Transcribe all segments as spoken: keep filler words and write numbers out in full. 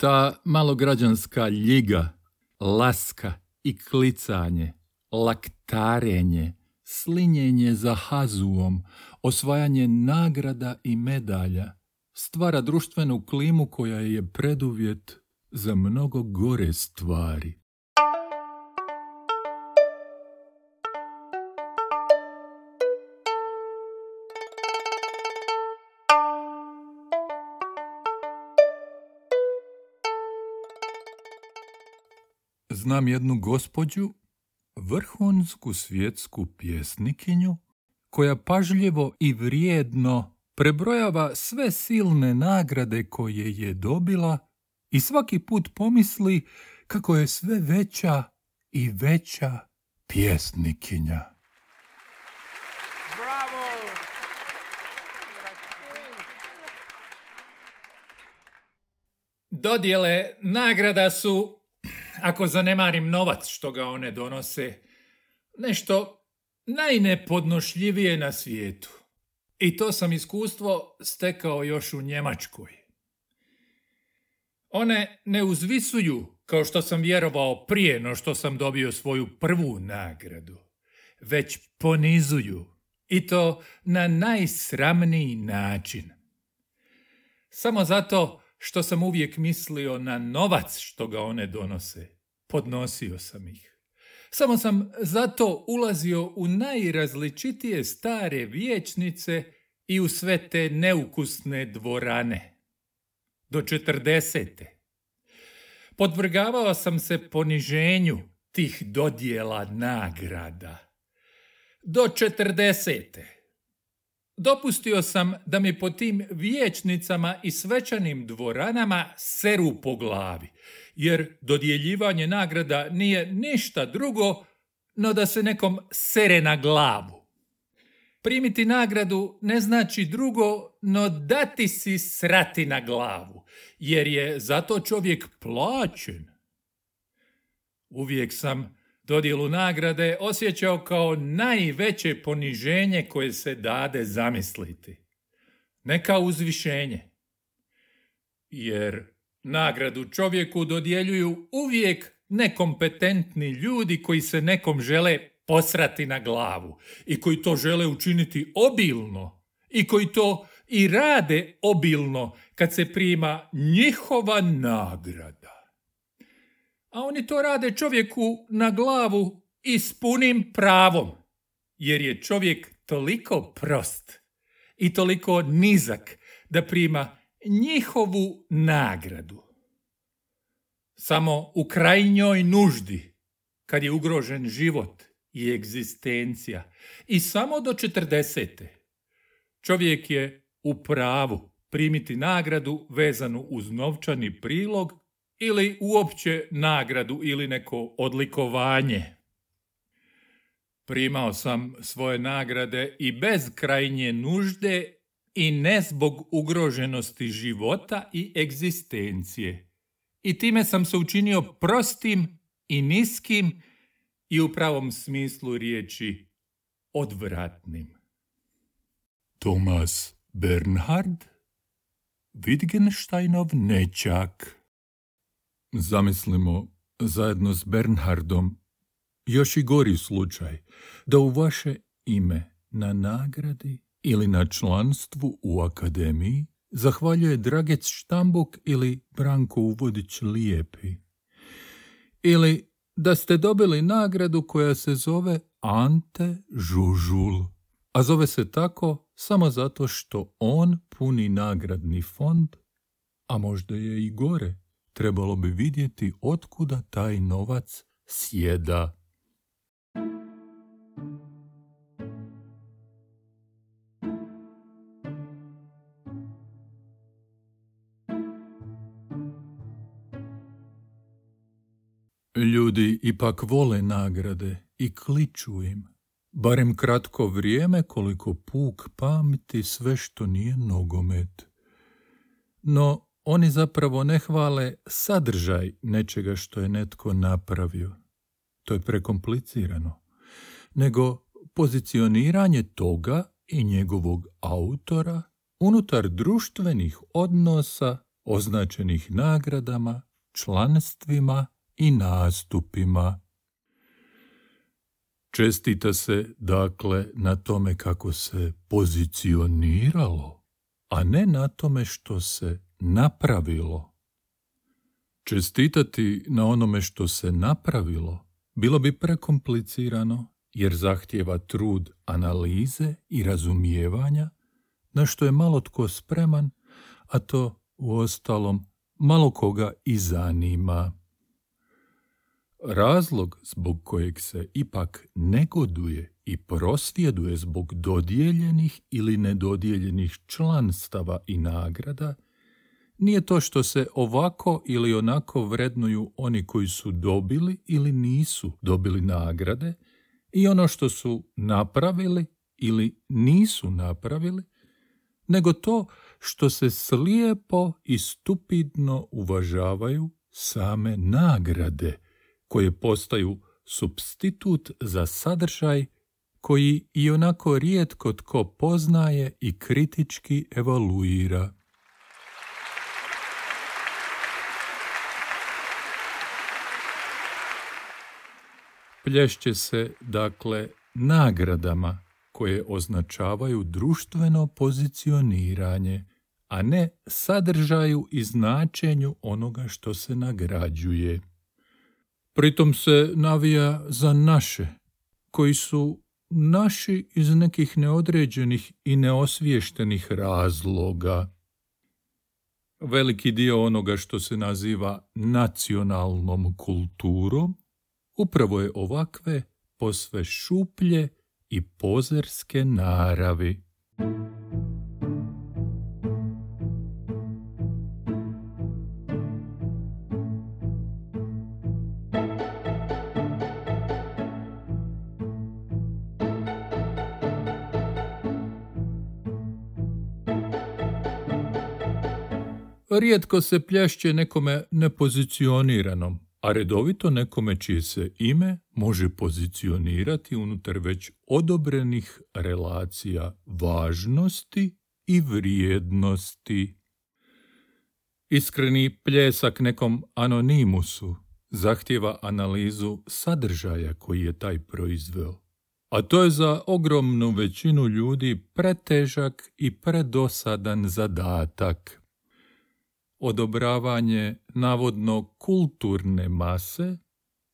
Ta malograđanska ljiga, laska i klicanje, laktarenje, slinjenje za hazuom, osvajanje nagrada i medalja stvara društvenu klimu koja je preduvjet za mnogo gore stvari. Znam jednu gospođu, vrhunsku svjetsku pjesnikinju, koja pažljivo i vrijedno prebrojava sve silne nagrade koje je dobila i svaki put pomisli kako je sve veća i veća pjesnikinja. Bravo! Dodjele nagrada su, ako zanemarim novac što ga one donose, nešto najnepodnošljivije na svijetu. I to sam iskustvo stekao još u Njemačkoj. One ne uzvisuju, kao što sam vjerovao prije no što sam dobio svoju prvu nagradu, već ponizuju, i to na najsramniji način. Samo zato što sam uvijek mislio na novac što ga one donose, podnosio sam ih. Samo sam zato ulazio u najrazličitije stare vijećnice i u sve te neukusne dvorane. Do četrdesete. Podvrgavao sam se poniženju tih dodjela nagrada. Do četrdesete. Dopustio sam da mi po tim vijećnicama i svečanim dvoranama seru po glavi, jer dodjeljivanje nagrada nije ništa drugo no da se nekom sere na glavu. Primiti nagradu ne znači drugo no dati si srati na glavu, jer je zato čovjek plaćen. Uvijek sam dodjelu nagrade osjećao kao najveće poniženje koje se dade zamisliti. Ne kao uzvišenje. Jer nagradu čovjeku dodjeljuju uvijek nekompetentni ljudi koji se nekom žele posrati na glavu i koji to žele učiniti obilno i koji to i rade obilno kad se prima njihova nagrada. A oni to rade čovjeku na glavu i s punim pravom, jer je čovjek toliko prost i toliko nizak da prima njihovu nagradu. Samo u krajnjoj nuždi, kad je ugrožen život i egzistencija, i samo do četrdesete, čovjek je u pravu primiti nagradu vezanu uz novčani prilog ili uopće nagradu ili neko odlikovanje. Primao sam svoje nagrade i bez krajnje nužde i ne zbog ugroženosti života i egzistencije. I time sam se učinio prostim i niskim i u pravom smislu riječi odvratnim. Thomas Bernhard, Wittgensteinov nećak. Zamislimo zajedno s Bernhardom još i gori slučaj, da u vaše ime na nagradi ili na članstvu u akademiji zahvaljuje Dragec Štambuk ili Branko Uvodić Lijepi. Ili da ste dobili nagradu koja se zove Ante Žužul, a zove se tako samo zato što on puni nagradni fond, a možda je i gore. Trebalo bi vidjeti otkuda taj novac sjeda. Ljudi ipak vole nagrade i kliču im, barem kratko vrijeme koliko puk pamti sve što nije nogomet. No, oni zapravo ne hvale sadržaj nečega što je netko napravio. To je prekomplicirano. Nego pozicioniranje toga i njegovog autora unutar društvenih odnosa označenih nagradama, članstvima i nastupima. Čestita se, dakle, na tome kako se pozicioniralo, a ne na tome što se napravilo. Čestitati na onome što se napravilo bilo bi prekomplicirano, jer zahtijeva trud analize i razumijevanja, na što je malo tko spreman, a to uostalom malo koga i zanima. Razlog zbog kojeg se ipak negoduje i prosvjeduje zbog dodijeljenih ili nedodijeljenih članstava i nagrada nije to što se ovako ili onako vrednuju oni koji su dobili ili nisu dobili nagrade i ono što su napravili ili nisu napravili, nego to što se slijepo i stupidno uvažavaju same nagrade, koje postaju supstitut za sadržaj koji i onako rijetko tko poznaje i kritički evaluira. Plješće se, dakle, nagradama koje označavaju društveno pozicioniranje, a ne sadržaju i značenju onoga što se nagrađuje. Pritom se navija za naše, koji su naši iz nekih neodređenih i neosviještenih razloga. Veliki dio onoga što se naziva nacionalnom kulturom upravo je ovakve posve šuplje i pozerske naravi. Rijetko se plješće nekome nepozicioniranom, a redovito nekome čije se ime može pozicionirati unutar već odobrenih relacija važnosti i vrijednosti. Iskreni pljesak nekom anonimusu zahtijeva analizu sadržaja koji je taj proizveo, a to je za ogromnu većinu ljudi pretežak i predosadan zadatak. Odobravanje navodno kulturne mase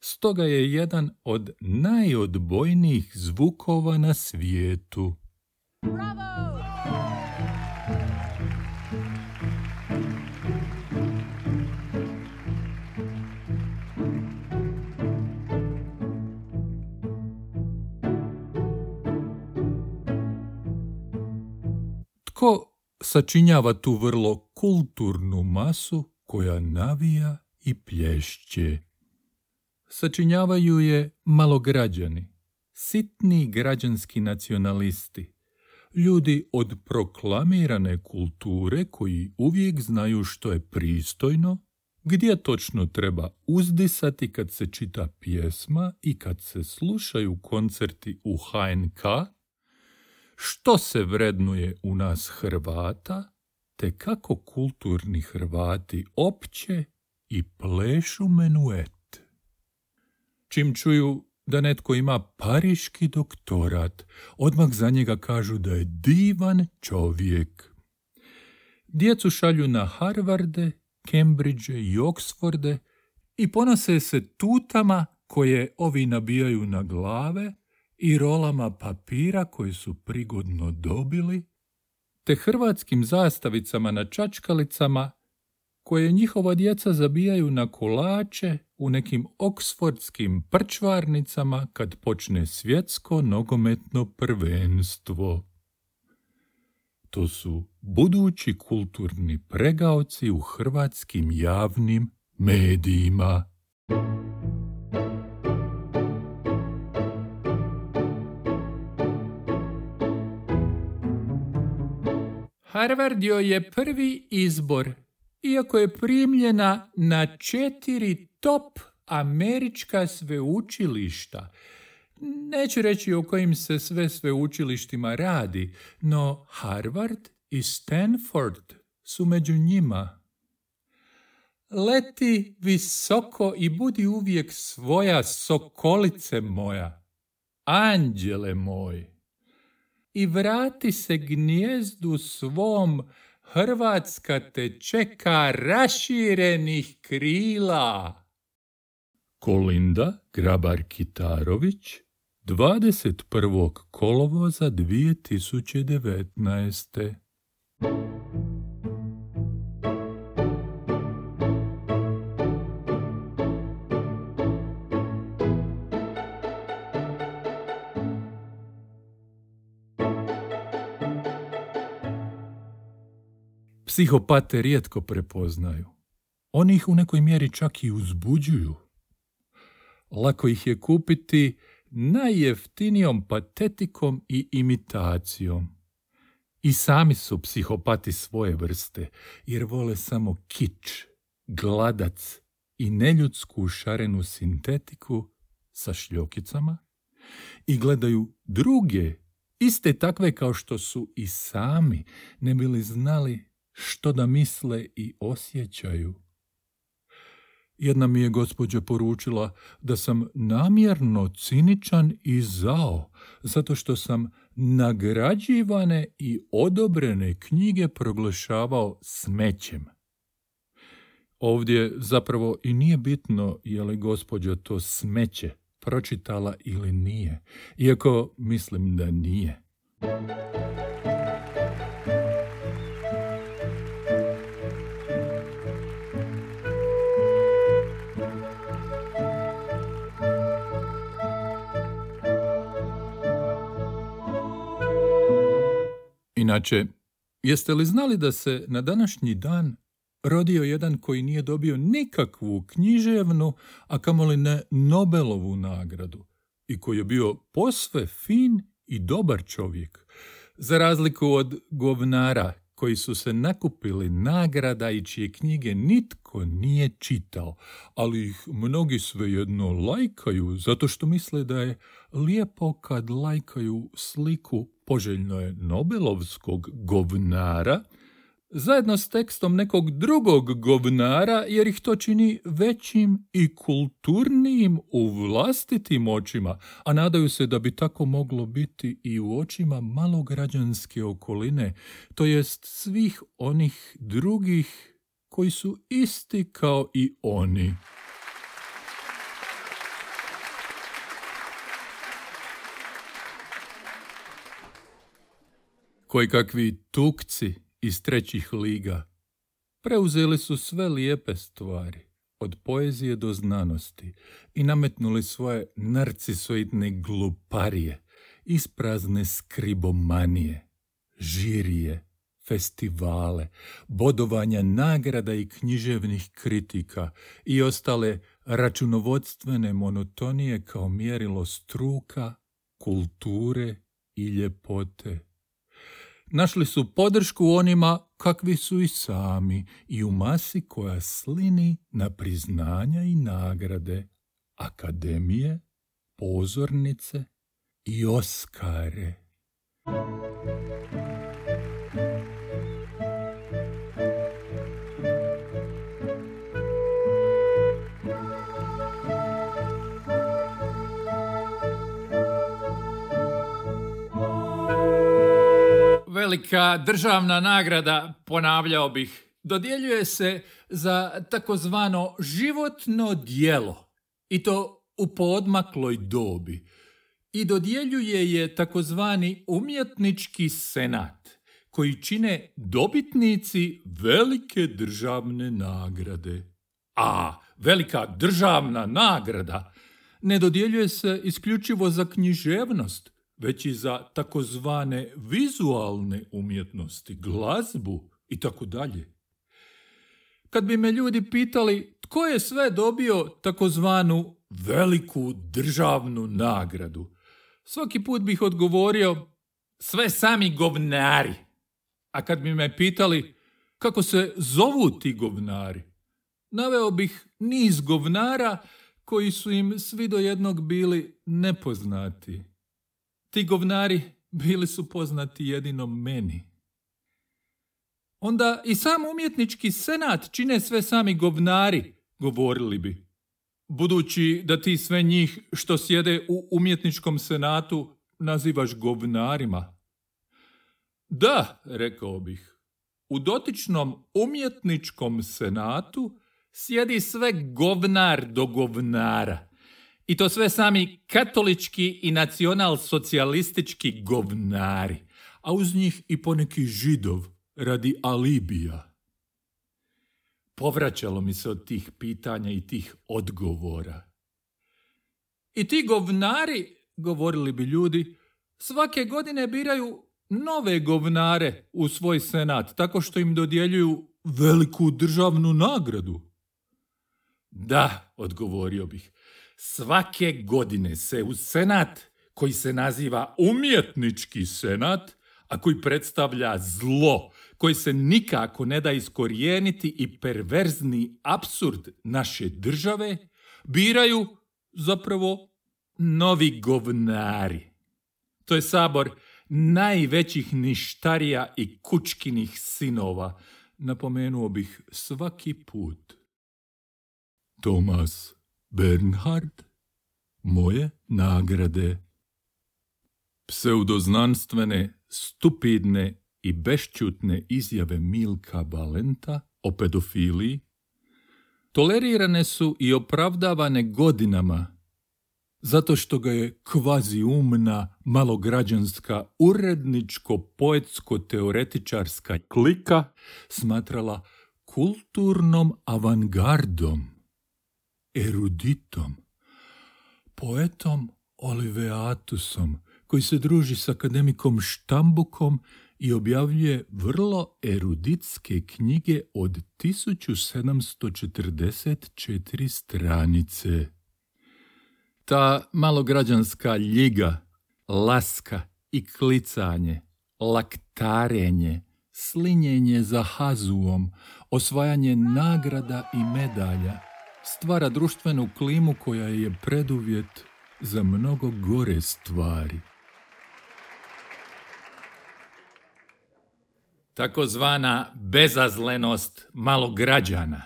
stoga je jedan od najodbojnijih zvukova na svijetu. Bravo! Tko sačinjava tu vrlo kulturnu masu koja navija i plješće? Sačinjavaju je malograđani, sitni građanski nacionalisti, ljudi od proklamirane kulture koji uvijek znaju što je pristojno, gdje točno treba uzdisati kad se čita pjesma i kad se slušaju koncerti u ha en ka, što se vrednuje u nas Hrvata, te kako kulturni Hrvati opće i plešu menuet. Čim čuju da netko ima pariški doktorat, odmah za njega kažu da je divan čovjek. Djecu šalju na Harvarde, Cambridge i Oxforde i ponose se tutama koje ovi nabijaju na glave i rolama papira koje su prigodno dobili, te hrvatskim zastavicama na čačkalicama koje njihova djeca zabijaju na kolače u nekim oksfordskim prčvarnicama kad počne svjetsko nogometno prvenstvo. To su budući kulturni pregaoci u hrvatskim javnim medijima. Harvard joj je prvi izbor, iako je primljena na četiri top američka sveučilišta. Neću reći o kojim se sve sveučilištima radi, no Harvard i Stanford su među njima. leti visoko i budi uvijek svoja, sokolice moja, anđele moj. I vrati se gnijezdu svom, Hrvatska te čeka raširenih krila. Kolinda Grabar-Kitarović, dvadeset prvog kolovoza dvije tisuće devetnaeste. Psihopate rijetko prepoznaju. Oni ih u nekoj mjeri čak i uzbuđuju. Lako ih je kupiti najjeftinijom patetikom i imitacijom. I sami su psihopati svoje vrste, jer vole samo kič, gladac i neljudsku šarenu sintetiku sa šljokicama i gledaju druge, iste takve kao što su i sami, ne bi li znali što da misle i osjećaju. Jedna mi je gospođa poručila da sam namjerno ciničan i zao, zato što sam nagrađivane i odobrene knjige proglašavao smećem. Ovdje zapravo i nije bitno je li gospođa to smeće pročitala ili nije, iako mislim da nije. Inače, jeste li znali da se na današnji dan rodio jedan koji nije dobio nikakvu književnu, a kamoli ne Nobelovu nagradu, i koji je bio posve fin i dobar čovjek, za razliku od govnara koji su se nakupili nagrada i čije knjige nitko nije čitao, ali ih mnogi svejedno lajkaju zato što misle da je lijepo kad lajkaju sliku, poželjno je Nobelovskog govnara, zajedno s tekstom nekog drugog govnara, jer ih to čini većim i kulturnijim u vlastitim očima, a nadaju se da bi tako moglo biti i u očima malograđanske okoline, to jest svih onih drugih koji su isti kao i oni. Koji kakvi tukci iz trećih liga preuzeli su sve lijepe stvari, od poezije do znanosti, i nametnuli svoje narcisoidne gluparije, isprazne skribomanije, žirije, festivale, bodovanja nagrada i književnih kritika i ostale računovodstvene monotonije kao mjerilo struka, kulture i ljepote. Našli su podršku onima kakvi su i sami i u masi koja slini na priznanja i nagrade, akademije, pozornice i Oskare. Velika državna nagrada, ponavljao bih, dodjeljuje se za takozvano životno djelo, i to u poodmakloj dobi, i dodjeljuje je takozvani umjetnički senat, koji čine dobitnici velike državne nagrade. A velika državna nagrada ne dodjeljuje se isključivo za književnost, već i za takozvane vizualne umjetnosti, glazbu i tako dalje. Kad bi me ljudi pitali tko je sve dobio takozvanu veliku državnu nagradu, svaki put bih odgovorio sve sami govnari. A kad bi me pitali kako se zovu ti govnari, naveo bih niz govnara koji su im svi do jednog bili nepoznati. Ti govnari bili su poznati jedino meni. onda i sam umjetnički senat čine sve sami govnari, govorili bi. Budući da ti sve njih što sjede u umjetničkom senatu nazivaš govnarima. Da, rekao bih, u dotičnom umjetničkom senatu sjedi sve govnar do govnara. I to sve sami katolički i nacional-socijalistički govnari, a uz njih i poneki židov radi alibija. Povraćalo mi se od tih pitanja i tih odgovora. I ti govnari, govorili bi ljudi, svake godine biraju nove govnare u svoj senat, tako što im dodjeljuju veliku državnu nagradu. Da, odgovorio bih, svake godine se u senat, koji se naziva umjetnički senat, a koji predstavlja zlo, koji se nikako ne da iskorijeniti i perverzni apsurd naše države, biraju zapravo novi govnari. To je sabor najvećih ništarija i kučkinih sinova, napomenuo bih svaki put. Thomas Bernhard, moje nagrade. Pseudoznanstvene, stupidne i bešćutne izjave Milka Valenta o pedofiliji tolerirane su i opravdavane godinama zato što ga je kvaziumna, malograđanska, uredničko-poetsko-teoretičarska klika smatrala kulturnom avangardom, eruditom, poetom Oliveatusom, koji se druži s akademikom Štambukom i objavljuje vrlo eruditske knjige od tisuću sedamsto četrdeset četiri stranice. Ta malograđanska ljiga, laska i klicanje, laktarenje, slinjenje za hazuom, osvajanje nagrada i medalja stvara društvenu klimu koja je preduvjet za mnogo gore stvari. Takozvana bezazlenost malograđana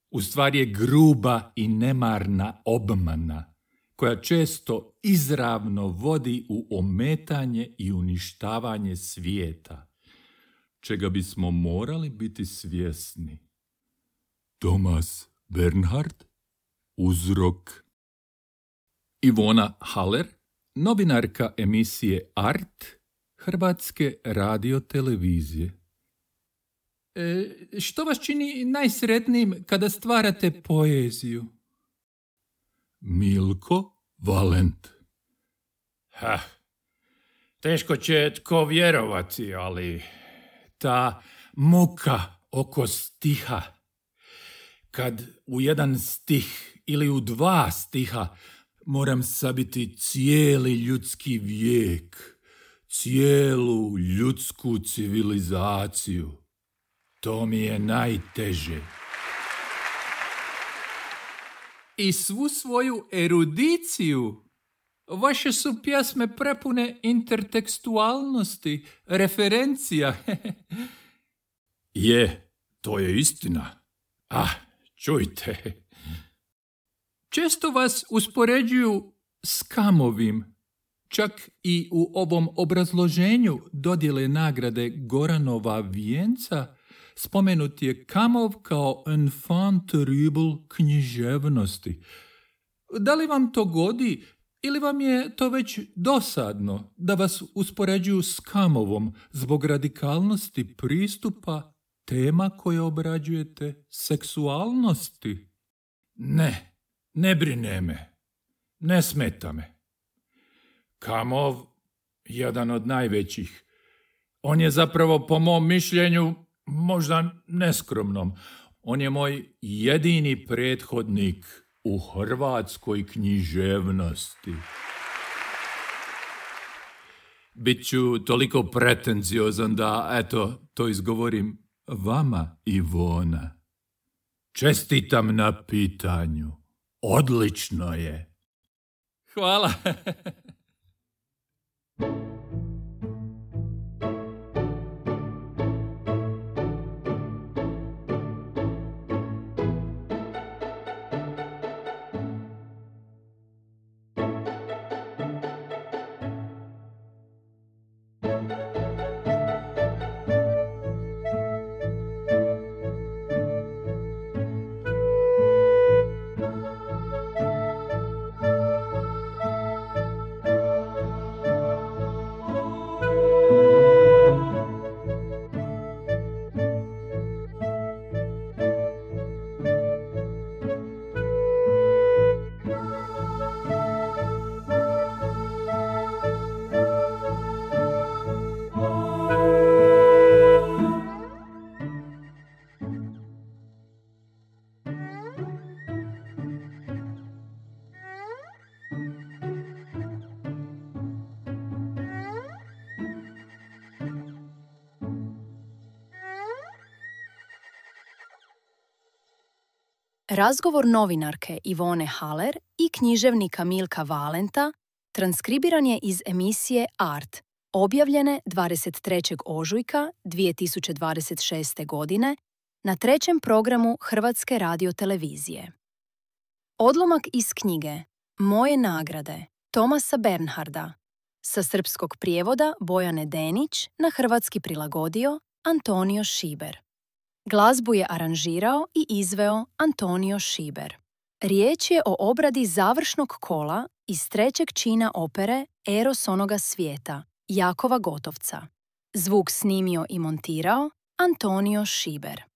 u stvari je gruba i nemarna obmana koja često izravno vodi u ometanje i uništavanje svijeta, čega bismo morali biti svjesni. Thomas Bernhard, uzrok. Ivona Haller, novinarka emisije Art Hrvatske radiotelevizije. E, što vas čini najsretnijim kada stvarate poeziju? Milko Valent. Ha, teško će tko vjerovati, ali ta muka oko stiha, kad u jedan stih ili u dva stiha moram sabiti cijeli ljudski vijek, cijelu ljudsku civilizaciju, to mi je najteže. I svu svoju erudiciju, vaše su pjesme prepune intertekstualnosti, referencija. Je, to je istina. Ah, čujte. Često vas uspoređuju s Kamovim. Čak i u ovom obrazloženju dodjele nagrade Goranova vijenca spomenut je Kamov kao enfant terrible književnosti. Da li vam to godi ili vam je to već dosadno da vas uspoređuju s Kamovom zbog radikalnosti pristupa tema koje obrađujete, seksualnosti? Ne, ne brine me, ne smeta me. Kamov, jedan od najvećih, on je zapravo po mom mišljenju možda neskromnom. On je moj jedini prethodnik u hrvatskoj književnosti. Biću toliko pretenziozan da, eto, to izgovorim vama, Ivona. Čestitam na pitanju. Odlično je. Hvala. Razgovor novinarke Ivone Haller i književnika Milka Valenta transkribiran je iz emisije Art, objavljene dvadeset trećeg ožujka dvije tisuće dvadeset šeste. godine na trećem programu Hrvatske radiotelevizije. Odlomak iz knjige Moje nagrade Thomasa Bernharda, sa srpskog prijevoda Bojane Denić, na hrvatski prilagodio Antonio Šiber. Glazbu je aranžirao i izveo Antonio Šiber. Riječ je o obradi završnog kola iz trećeg čina opere Eros onoga svijeta Jakova Gotovca. Zvuk snimio i montirao Antonio Šiber.